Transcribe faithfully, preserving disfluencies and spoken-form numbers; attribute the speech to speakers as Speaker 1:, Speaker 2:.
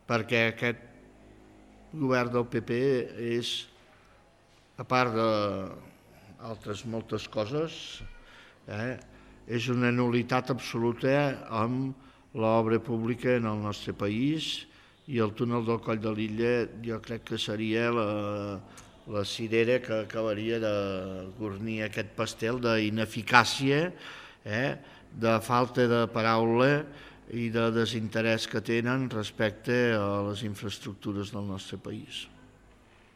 Speaker 1: perquè aquest govern del P P és, a part d'altres moltes coses, eh, és una nul·litat absoluta amb l'obra pública en el nostre país, i el túnel del Coll de Lilla jo crec que seria la, la cirera que acabaria de guarnir aquest pastel d'ineficàcia, eh, de falta de paraula i de desinterès que tenen respecte a les infraestructures del nostre país.